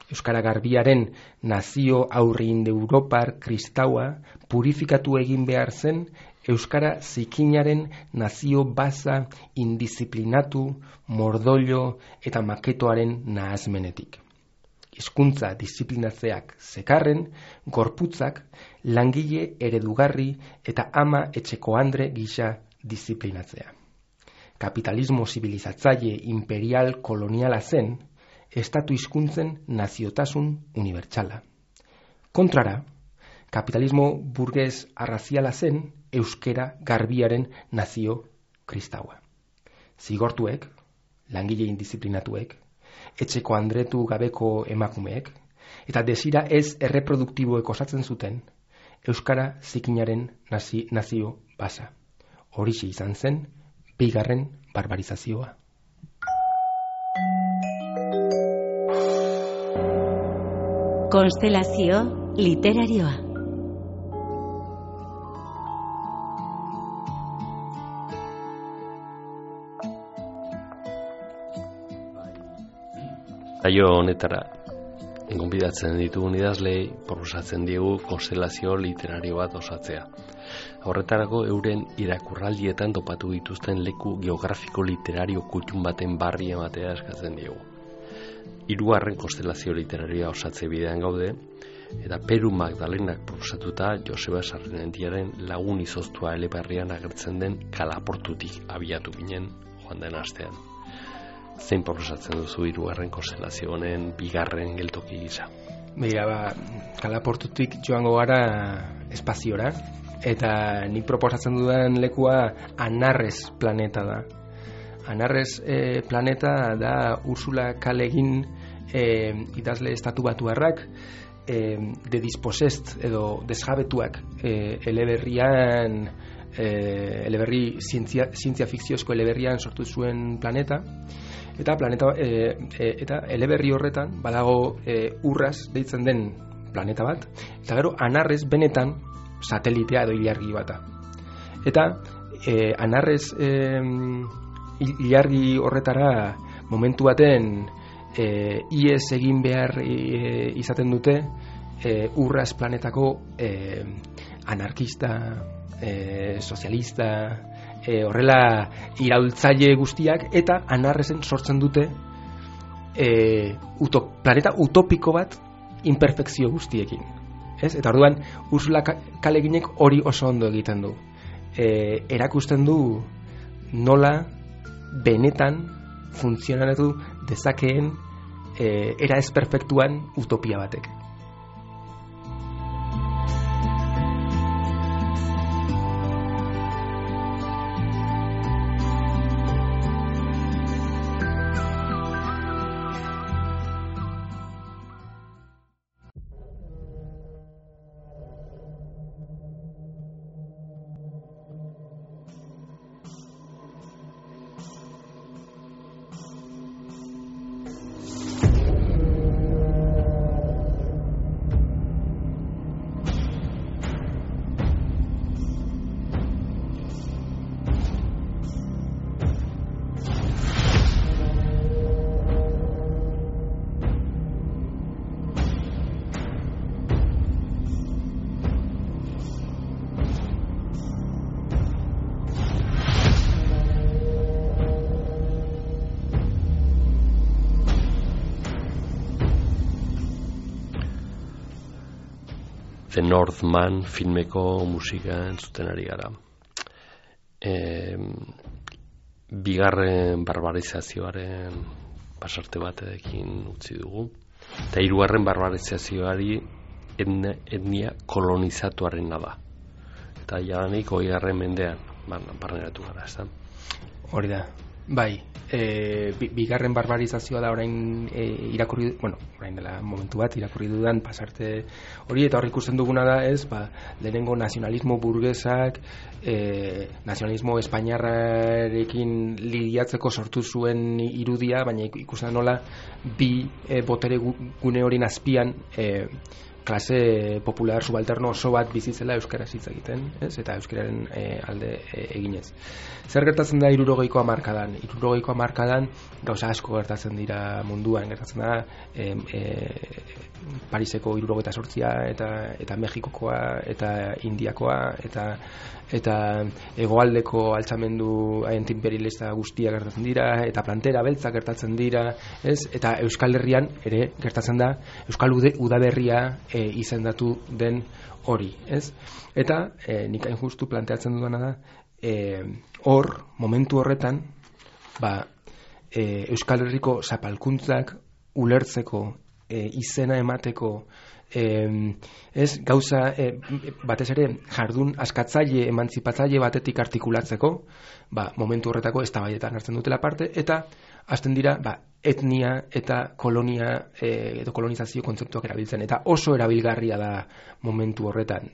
Euskara garbiaren nazio aurri indoeuropar kristaua purifikatu egin behar zen euskara zikinaren nazio baza indisiplinatu, mordollo eta maketoaren nahazmenetik. Hizkuntza disiplinatzeak zekarren, gorputzak langile eredugarri eta ama etxeko andre gisa disiplinatzea. Kapitalismo zibilizatzaile imperial koloniala zen, estatu hizkuntzen naziotasun unibertsala. Kontrara, kapitalismo burges arraziala zen euskera garbiaren nazio kristaua. Zigortuek, langile indisiplinatuek, etxeko andretu gabeko emakumeek, eta desira ez erreproduktiboek osatzen zuten euskara zikinaren nazio basa. Horixe izan zen, bigarren barbarizazioa. Konstelazio literarioa. Saio honetara gonbidatzen ditugun idazleei proposatzen diegu konstelazio literario bat osatzea. Horretarako euren irakurraldietan topatu dituzten leku geografiko literario kutxun baten barri ematea eskatzen diegu. 3. konstelazio literarioa osatze bidean gaude, eta Peru Magdalenak proposatuta Joseba Sarrenentiaren Lagun izoztua eleberrian agertzen den Kalaportutik abiatu ginen joan den astean. Zein proposatzen duzu 3. konstelazio honen bigarren geltoki gisa? Kalaportutik joango gara espaziora, eta nik proposatzen dudan lekua Anarres planeta da. Anarres planeta da Ursula K. Le Guin idazle estatu batuarrak de dispossessed edo desjabetuak eleberrian eleberri zientzia fikziozko eleberrian sortu zuen planeta, eta eta eleberri horretan badago Urraz deitzen den planeta bat, eta gero Anarres benetan satelitea edo ilargi bata. Eta Anarres ilargi horretara momentu baten ies egin behar izaten dute Urraz planetako anarkista, sozialista, horrela iraultzaile guztiak, eta Anarresen sortzen dute planeta utopiko bat imperfekzio guztiekin. Ez? Eta orduan Ursula K. Le Guinek hori oso ondo egiten du. erakusten du nola benetan funtzionatu dezakeen era ez perfektuan utopia batek. The Northman filmeko musika entzuten ari gara. Bigarren barbarizazioaren pasarte batekin utzi dugu. Eta hirugarren barbarizazioari etnia kolonizatuarena da. Eta jadanik 20. mendean barneratu gara, ez da? Hori da, bai. Bigarren barbarizazioa da orain irakurri, orain dela momentu bat irakurri dudan pasarte hori, eta hor ikusten duguna da lehenengo nazionalismo burgesak nazionalismo espainiarrarekin lidiatzeko sortu zuen irudia, baina ikusten nola bi botere gune hori azpian klase popular subalterno oso bat bizitzela euskaraz hitz egiten, ez? Eta euskararen alde eginez. Zer gertatzen da 60ko hamarkadan? 60ko hamarkadan gauza asko gertatzen dira munduan, gertatzen da Pariseko 78 eta Mexikokoa eta Indiakoa eta hegoaldeko altxamendu antiimperialista guztiak gertatzen dira, eta plantera beltzak gertatzen dira, ez? Eta Euskal Herrian ere gertatzen da Euskal Udaberria izendatu den hori, ez? Eta nik hain justu planteatzen dudana da hor, momentu horretan Euskal Herriko zapalkuntzak ulertzeko, izena emateko, ez gauza batez ere jardun askatzaile, emantzipatzaile batetik artikulatzeko, momentu horretako eztabaidetan hartzen dutela parte, eta hasten dira etnia eta kolonia edo kolonizazio kontzeptuak erabiltzen, eta oso erabilgarria da momentu horretan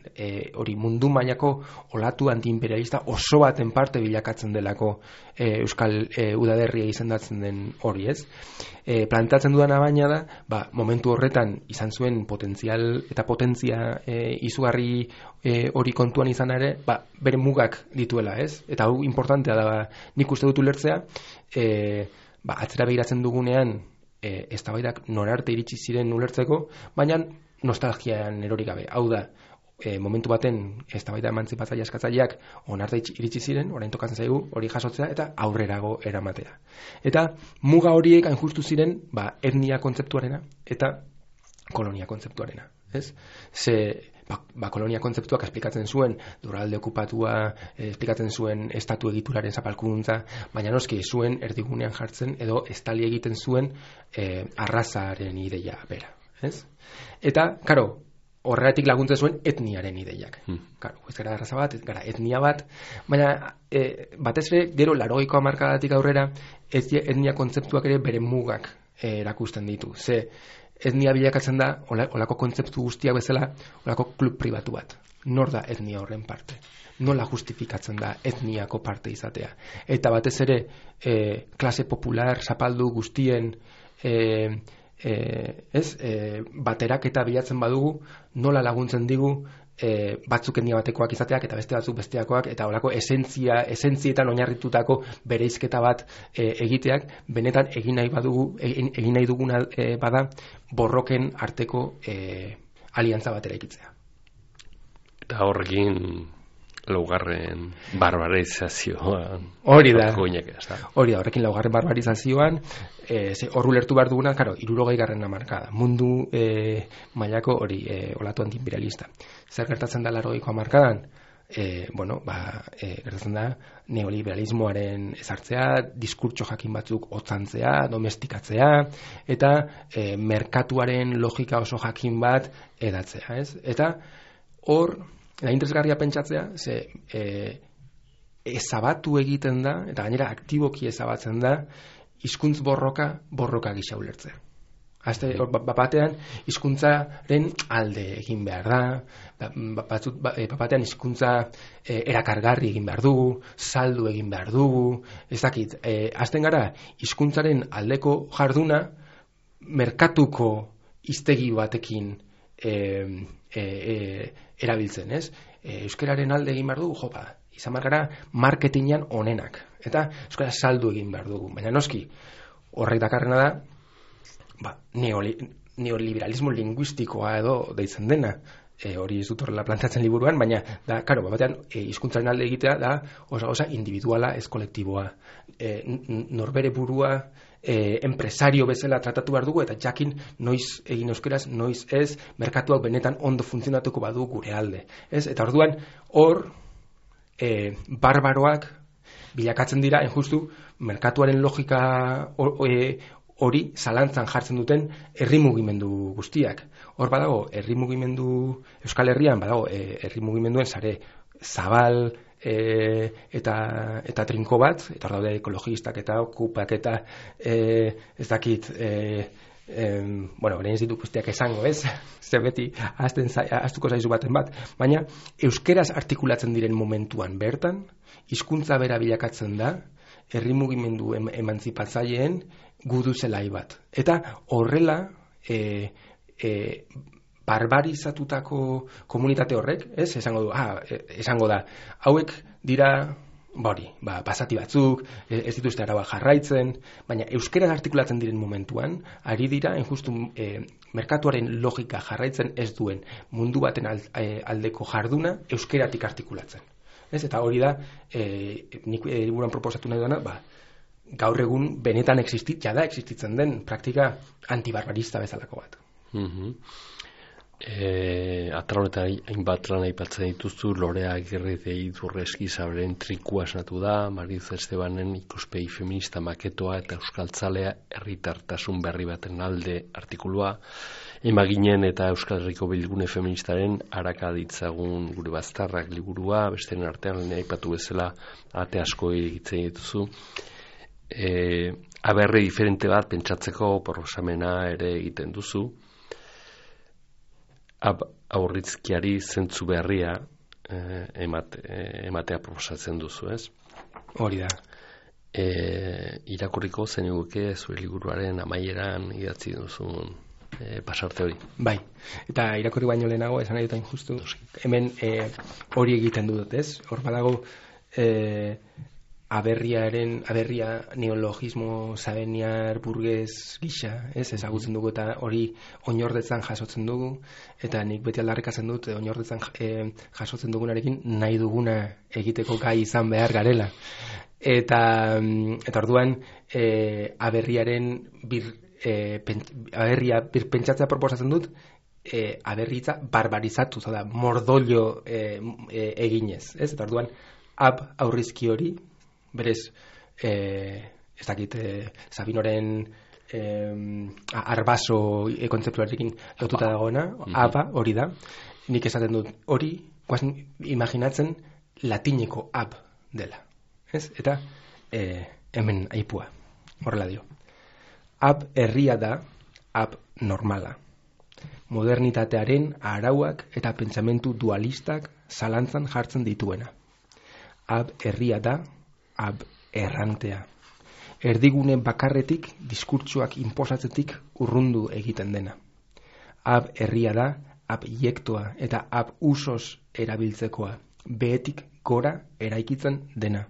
hori mundu mailako olatu antiimperialista oso baten parte bilakatzen delako Euskal Udaberria izendatzen den hori, ez? Plantatzen dudana baina da, momentu horretan izan zuen potentzial eta potentzia izugarri hori kontuan izan ere, bere mugak dituela, ez? Eta hau importantea da, nik uste dut ulertzea, atzera begiratzen dugunean eztabaidak norarte iritsi ziren ulertzeko, baina nostalgian erori gabe. Hau da, momentu baten eztabaida emantzipatzaile askatzaileak onarte iritsi ziren, orain tokatzen zaigu hori jasotzea eta aurrerago eramatea. Eta muga horiek hain justu ziren etnia kontzeptuarena eta kolonia kontzeptuarena, ez? Kolonia kontzeptuak esplikatzen zuen lurralde okupatua, esplikatzen zuen estatu egituraren zapalkuntza, baina noski zuen erdigunean jartzen edo estali egiten zuen arrazaren ideia bera, ez? Eta, karo, horregatik laguntzen zuen etniaren ideiak. Karo, ez gara arraza bat, ez gara etnia bat, baina batez ere, gero 80ko hamarkadatik aurrera, etnia kontzeptuak ere bere mugak erakusten ditu. Ze, etnia bilakatzen da, olako kontzeptu guztiak bezala, olako klub pribatu bat. Nor da etnia horren parte? Nola justifikatzen da etniako parte izatea? Eta batez ere, klase popular, zapaldu guztien, baterak eta bilatzen badugu, nola laguntzen digu batzuk etnia batekoak izateak eta beste batzuk besteakoak, eta olako esentzietan oinarritutako bereizketa bat egiteak, benetan egin nahi duguna bada borroken arteko aliantza bat eraikitzea. Eta horrekin laugarren barbarizazioan hori da, horrekin laugarren barbarizazioan hor ulertu behar duguna, 60. hamarkada mundu mailako hori olatu antiimperialista. Zer gertatzen da 80ko hamarkadan? gertatzen da neoliberalismoaren ezartzea, diskurtso jakin batzuk otzantzea, domestikatzea, eta merkatuaren logika oso jakin bat edatzea, ez? Eta hor, da interesgarria pentsatzea, ezabatu egiten da, eta gainera aktiboki ezabatzen da, hizkuntz borroka gisa ulertzea. Batean hizkuntzaren alde egin behar da, batean hizkuntza erakargarri egin behar dugu, saldu egin behar dugu, ez dakit, hasten gara hizkuntzaren aldeko jarduna merkatuko hiztegi batekin erabiltzen, ez? Euskararen alde egin behar dugu, izan behar gara marketingan onenak, eta euskara saldu egin behar dugu, baina noski, horrek dakarrena da, neoliberalismo linguistikoa edo deitzen dena, hori ez dut horrela plantatzen liburuan, baina da, karo, batean hizkuntzaren alde egitea da osa individuala, ez kolektiboa, norbere burua enpresario bezala tratatu behar dugu, eta jakin noiz egin euskeraz, noiz ez, merkatuak benetan ondo funtzionatuko badu gure alde, ez? Eta orduan hor barbaroak bilakatzen dira, justu merkatuaren logika hori zalantzan jartzen duten herri mugimendu guztiak. Hor badago, herri mugimendu, Euskal Herrian badago, herri mugimenduen sare zabal eta trinko bat, eta hor daude ekologistak eta okupak eta ez dakit, orain ez ditu guztiak esango, ez? Zer beti ahaztuko zaizu baten bat, baina euskeraz artikulatzen diren momentuan bertan, hizkuntza bera bilakatzen da, herri mugimendu emantzipatzaileen gudu zelai bat. Eta horrela barbarizatutako komunitate horrek, ez? Esango da, hauek dira basati batzuk, ez dituzte araba jarraitzen, baina euskera artikulatzen diren momentuan, ari dira, justu merkatuaren logika jarraitzen ez duen mundu baten aldeko jarduna euskeratik artikulatzen. Ez? Eta hori da, nik liburuan proposatu nahi duena, gaur egun benetan existitzen den praktika antibarbarista bezalako bat. Atrahonetan hainbat lan aipatzen dituzu, Lorea Agirredei Durreski Sabren trikua esnatu da, Mariz Estebanen ikuspegi feminista maketoa eta euskaltzalea herritartasun berri baten alde artikulua, Emaginen eta Euskal Herriko Bilgune Feministaren Araka ditzagun gure baztarrak liburua, besteren artean aipatu bezala ate asko egiten dituzu. Aberri diferente bat pentsatzeko proposamena ere egiten duzu. Aurritzkiari zentzu berria ematea proposatzen duzu, ez? Hori da. Irakurriko zenuke zure liburuaren amaieran idatzi duzun pasarte hori. Bai, eta irakurri baino lehenago esan nahi dutain justu, hemen hori egiten dut, ez? Hor badago aberria neologismo sabeniar burgez gisa, ez? Ezagutzen dugu eta hori oinordetzan jasotzen dugu, eta nik beti aldarrikatzen dut oinordetzan jasotzen dugunarekin nahi duguna egiteko gai izan behar garela. Eta orduan aberriaren aberria pentsatzea proposatzen dut, aberritza barbarizatu, da mordoilo eginez, ez? Eta orduan aurrizki hori, berez, ez dakit, Sabinoren arbaso kontzeptuarekin lotuta dagoena, hori da, nik esaten dut hori, imaginatzen latineko dela, ez? Eta hemen aipua, horrela dio. Herria da, normala. Modernitatearen arauak eta pentsamentu dualistak zalantzan jartzen dituena. Herria da, errantea. Erdigune bakarretik diskurtsoak inposatzetik urrundu egiten dena. Herria da, jektoa eta usos erabiltzekoa, behetik gora eraikitzen dena.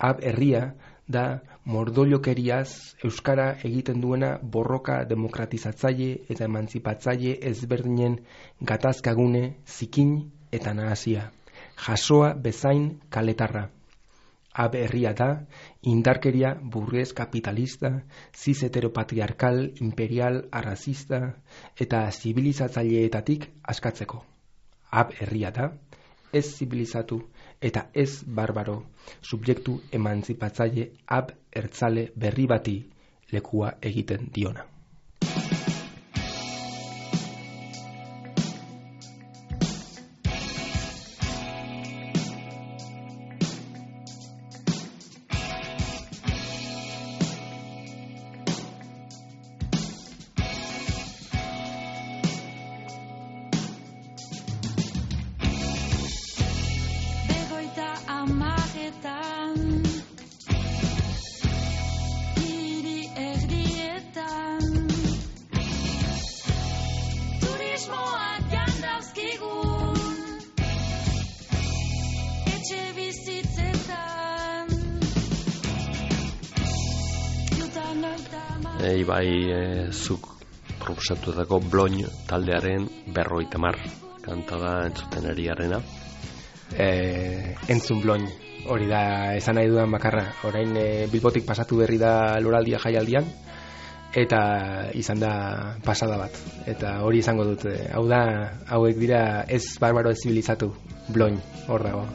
Herria da mordoilokeriaz euskara egiten duena borroka demokratizatzaile eta emantzipatzaile ezberdinen gatazkagune zikin eta nahasia. Jasoa bezain kaletarra. Herria da indarkeria burgues kapitalista, ziz heteropatriarkal, imperial, arrazista eta zibilizatzaileetatik askatzeko. Herria da ez zibilizatu eta ez barbaro, subjektu emantzipatzaile ertzale berri bati lekua egiten diona. Zuk proposatutako Bloin taldearen 50 kanta da entzuten ari garena. Entzun Bloin, hori da esan nahi dudan bakarra. Orain Bilbotik pasatu berri da loraldia jaialdian, eta izan da pasada bat. Eta hori izango dut, hauek dira ez barbaro ez zibilizatu, Bloin, hor dago.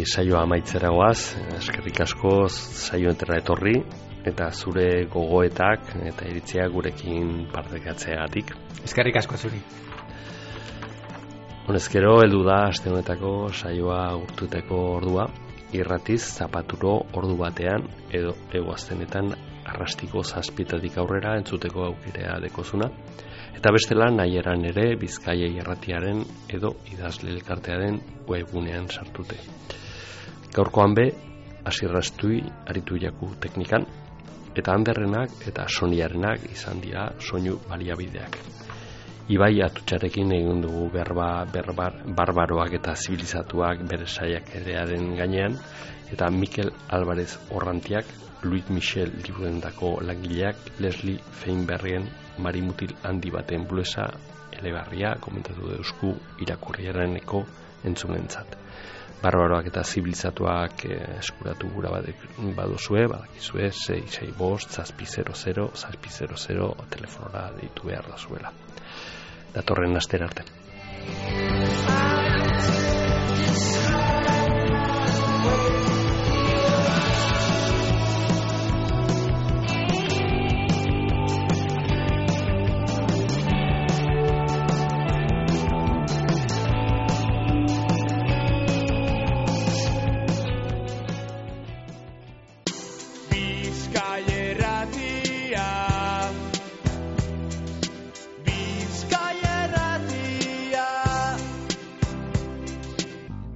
Saioa amaitzera goaz, eskerrik asko saio entera etorri eta zure gogoetak eta iritzia gurekin partekatzeagatik. Eskerrik asko zuri. Honezkero heldu da aste honetako saioa urtuteko ordua, irratiz zapaturo ordu batean edo egoaztenetan arrastiko 7 aurrera entzuteko aukera dekozuna. Eta bestela nahieran ere Bizkaia irratiaren edo idazle elkartearen webunean sartute. Gaurkoan be, Asirrastui aritu jaku teknikan, eta Anderrenak eta Soniarenak izan dira soinu baliabideak. Ibai Atutxarekin egin dugu barbaroak eta zibilizatuak bere saiakeraren gainean, eta Mikel Alvarez Orrantiak, Luis Michel liburendako langileak, Leslie Feinbergen marimutil handi baten bluesa elegarria komentatu deusku irakurriareneko entzunentzat. Barbaroak eta zibilizatuak eskuratu gura baduzue, badakizue 665-700-700 telefonora deitu behar da zuela. Datorren astera arte.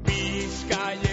Bizkaia